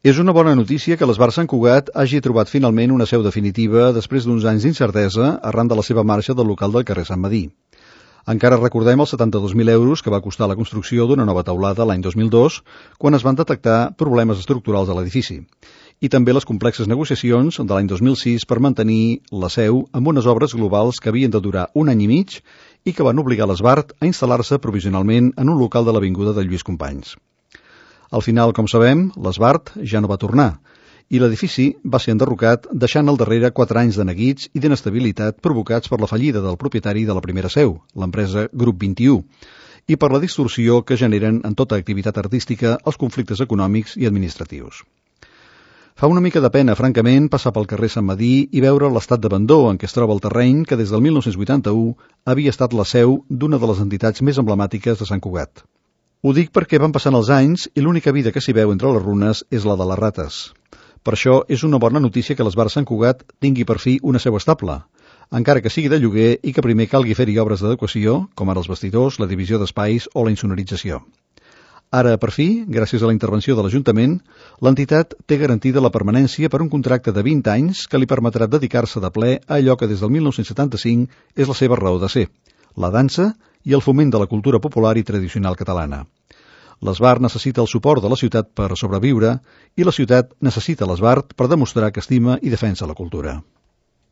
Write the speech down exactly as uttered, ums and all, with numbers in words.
És una bona notícia que l'Esbar Sant Cugat hagi trobat finalment una seu definitiva després d'uns anys d'incertesa arran de la seva marxa del local del carrer Sant Medir. Encara recordem els setanta-dos mil euros que va costar la construcció d'una nova teulada l'any dos mil dos, quan es van detectar problemes estructurals a l'edifici, i també les complexes negociacions de l'any dos mil sis per mantenir la seu amb unes obres globals que havien de durar un any i mig i que van obligar l'Esbar a instal·lar-se provisionalment en un local de l'avinguda de Lluís Companys. Al final, com sabem, l'Esbar ja no va tornar, i l'edifici va ser enderrocat deixant al darrere quatre anys de neguits i d'inestabilitat provocats per la fallida del propietari de la primera seu, l'empresa Grup vint-i-u, i per la distorsió que generen en tota activitat artística els conflictes econòmics i administratius. Fa una mica de pena, francament, passar pel carrer Sant Medir i veure l'estat d'abandó en què es troba el terreny que des del mil nou-cents vuitanta-u havia estat la seu d'una de les entitats més emblemàtiques de Sant Cugat. Ho dic perquè van passant els anys i l'única vida que s'hi veu entre les runes és la de les rates. Per això és una bona notícia que l'Esbar Sant Cugat tingui per fi una seu estable, encara que sigui de lloguer i que primer calgui fer-hi obres d'adequació, com ara els vestidors, la divisió d'espais o la insonorització. Ara, per fi, gràcies a la intervenció de l'Ajuntament, l'entitat té garantida la permanència per un contracte de vint anys que li permetrà dedicar-se de ple a allò que des del mil nou-cents setanta-cinc és la seva raó de ser, la dansa i el foment de la cultura popular i tradicional catalana. L'Esbar necessita el suport de la ciutat per sobreviure i la ciutat necessita l'Esbar per demostrar que estima i defensa la cultura.